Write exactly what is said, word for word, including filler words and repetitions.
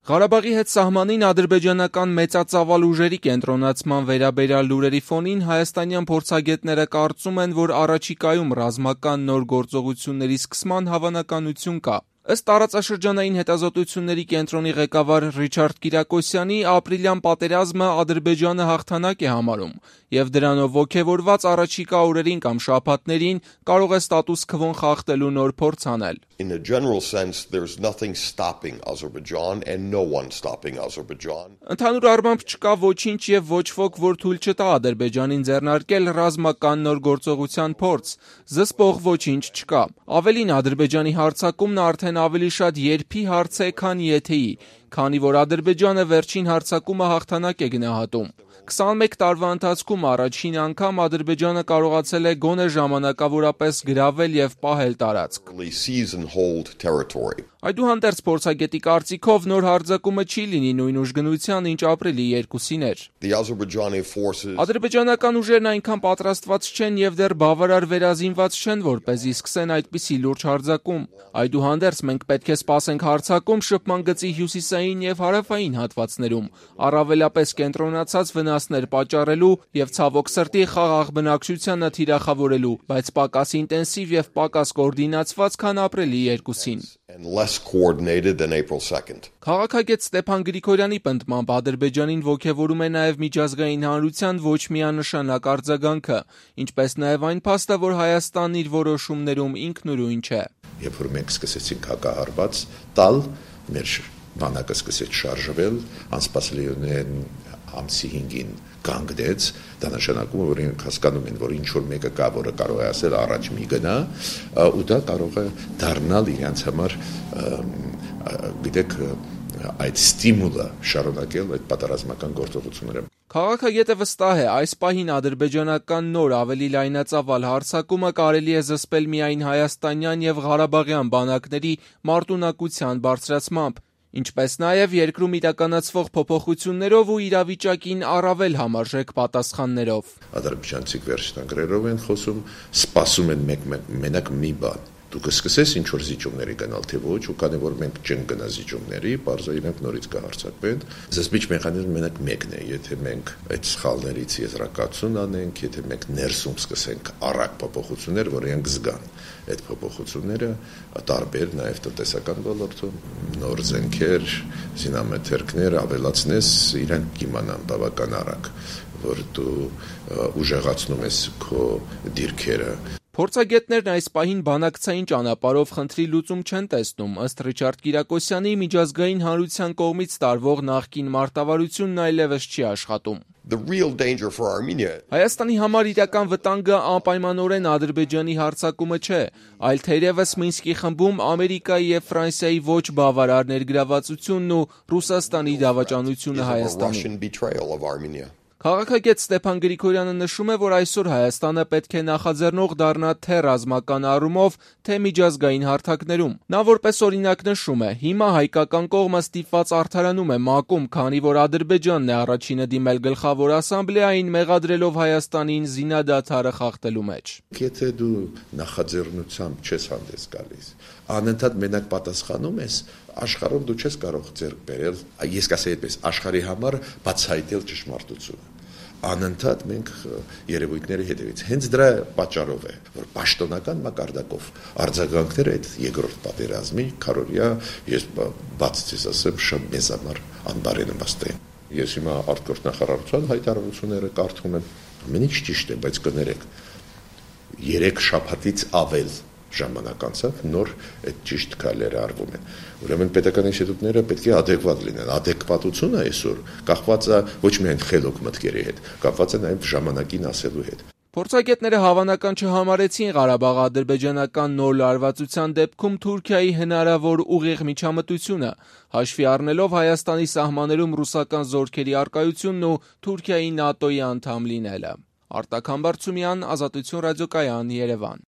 Ղարաբաղի հետ սահմանին ադրբեջանական մեծածավալ ուժերի կենտրոնացման վերաբերյալ լուրերի ֆոնին հայաստանյան փորձագետները կարծում են, որ առաջիկայում ռազմական նոր գործողությունների սկսման հավանականություն կա։ Ըստ տարածաշրջանային հետազոտությունների կենտրոնի ղեկավար Ռիչարդ Կիրակոսյանի, ապրիլյան պատերազմը Ադրբեջանը հաղթանակ է համարում և դրանով ոգևորված առաջիկա օրերին կամ շաբաթներին կարող է ստատուս քվոն խախտելու նոր փորձ անել։ In a general sense, there's nothing stopping Azerbaijan and no one stopping Azerbaijan. Ընդհանուր առմամբ չկա ոչինչ եւ ոչ ոք, որ թույլ չտա Ադրբեջանին ձեռնարկել ռազմական նոր գործողության փորձ։ Զսպող ոչինչ չկա։ Ավելին, Ադրբեջանի հարձակումն արդեն ավելի շատ երբի հարց է, քան եթեի, քանի որ Ադրբեջանը վերջին հարձակումը հաղթանակ է գնահատում։ քսանմեկ տարվա ընթացքում առաջին անգամ Ադրբեջանը կարողացել է գոնե ժամանակավորապես գրավել եւ պահել տարածք։ Այդուհանդերձ փորձագետի կարծիքով նոր հարձակումը չի լինի նույն ուժգնության, ինչ ապրիլի երկուսին էր։ Ադրբեջանական ուժերն այնքան պատրաստված չեն եւ դեռ բավարար վերազինված չեն, որպեսզի սկսեն այդպիսի լուրջ հարձակում։ Այդուհանդերձ մենք պետք է սպասենք հարձակում շփման գծի հյուսիսային եւ հարավային հատվածներում, առավելապես կենտրոնացած վնասներ պատճառելու եւ ցավոք սրտի խաղաղ բնակչությանը թիրախավորելու, բայց պակաս ինտենսիվ եւ պակաս կոորդինացված, քան ապրիլի երկուսին։ Քաղաքագետ Ստեփան Գրիգորյանի պնդմամբ Ադրբեջանին ոգևորում է նաև միջազգային հանրության ոչ միանշանակ արձագանքը, ինչպես նաև այն փաստը, որ Հայաստանն իր որոշումներում ինքնուրույն չէ։ Երբ որ մենք սկսեցինք հակահարված տալ, մեր բանակը սկսեց շարժվել, անսպասելիորեն ամսի հինգին կանգնեց, դա նշանակում է, որ ինք հասկանում են, որ ինչ որ մեկը կա, որը կարող է ասել առաջ մի գնա, ու դա կարող է դառնալ իրենց համար, գիտեք, այդ ստիմուլը շարունակել այդ պատերազմական գործողությունները։ Քաղաքագետը վստահ է, այս պահին ադրբեջանական նոր ավելի լայնածավալ հարձակումը կարելի է զսպել միայն հայաստանյան եւ ղարաբաղյան բանակների մարտունակության բարձրացմամբ, ինչպես նաև երկրում իրականացվող փոփոխություններով ու իրավիճակին առավել համարժեք պատասխաններով։ Ադրբեջանցիք վերջնագրերով են խոսում, սպասում են մենակ մի բան։ Դուք սկսես ինչ որ զիջումների գնալ, թե ոչ, ու քանի որ մենք չենք գնա զիջումների, բարձր իրենք նորից կհարցակվեն։ Զսպիչ մեխանիզմը մենակ մեկն է, եթե մենք այդ սխալներից եզրակացություն անենք, եթե մենք ներսում սկսենք առակ փոփոխություններ, որ իրենք զգան այդ փոփոխությունները, տարբեր նաև տնտեսական ոլորտում, նոր զենքեր, զինամթերքներ ավելացնես, իրենք կիմանան բավական արագ, որ դու ուժեղացնում ես քո դիրքերը։ Փորձագետներն այս պահին բանակցային ճանապարհով խնդրի լուծում չեն տեսնում, ըստ Ռիչարդ Կիրակոսյանի, միջազգային հանրության կողմից տարվող նախկին մարտավարությունն այլևս չի աշխատում։ Հայաստանի համար իրական վտանգը անպայմանորեն Ադրբեջանի հարձակումը չէ, այլ թերևս Մինսկի խմբում Ամերիկայի եւ Ֆրանսիայի ոչ բավարար ներգրավվածությունն ու Ռուսաստանի դավաճանությունը Հայաստանին։ Քաղաքագետ Ստեփան Գրիգորյանը նշում է, որ այսօր Հայաստանը պետք է նախաձեռնող դառնա թե ռազմական առումով, թե միջազգային հարթակներում։ Նա որպես օրինակ նշում է, հիմա հայկական կողմը ստիպված արդարանում է ՄԱԿ-ում, քանի որ Ադրբեջանն է առաջինը դիմել գլխավոր ասամբլեային, մեղադրելով Հայաստանին զինադադարը խախտելու մեջ։ Եթե դու նախաձեռնությամբ չես հանդես գալիս, անընդհատ մենակ պատասխանում ես, աշխարհում դու չես կարող ձեռք բերել, ես կասեի այդպես, աշխարհի համար բացահայտել ճշմարտությունը։ Անընդհատ մենք երևույթների հետևից։ Հենց դրա պատճառով է, որ պաշտոնական մակարդակով արձագանքները այդ երկրորդ պատերազմի քարորիա ես բացից ասեմ շատ մեծ համար անբարենպաստ է։ Ես հիմա արտգործ նախարարության հայտարարությունները կարդում եմ, ամեն ինչ ճիշտ է, բայց կներեք, երեք շաբաթից ավել ժամանակ անցավ, նոր այդ ճիշտ քայլերը արվում են։ Ուրեմն պետական ինստիտուտները պետք է ադեկվատ լինեն։ Ադեկվատությունը այսօր կախված է ոչ միայն խելոք մտքերի հետ, կապված է նաև ժամանակին ասելու հետ։ Փորձագետները հավանական չհամարեցին Ղարաբաղ-ադրբեջանական նոր լարվածության դեպքում Թուրքիայի հնարավոր ուղիղ միջամտությունը, հաշվի առնելով Հայաստանի սահմաններում ռուսական զորքերի առկայությունն ու Թուրքիայի ՆԱՏՕ-ի անդամ լինելը։ Արտակ Համբարձումյան, Ազատություն ռադիոկայան, Երևան։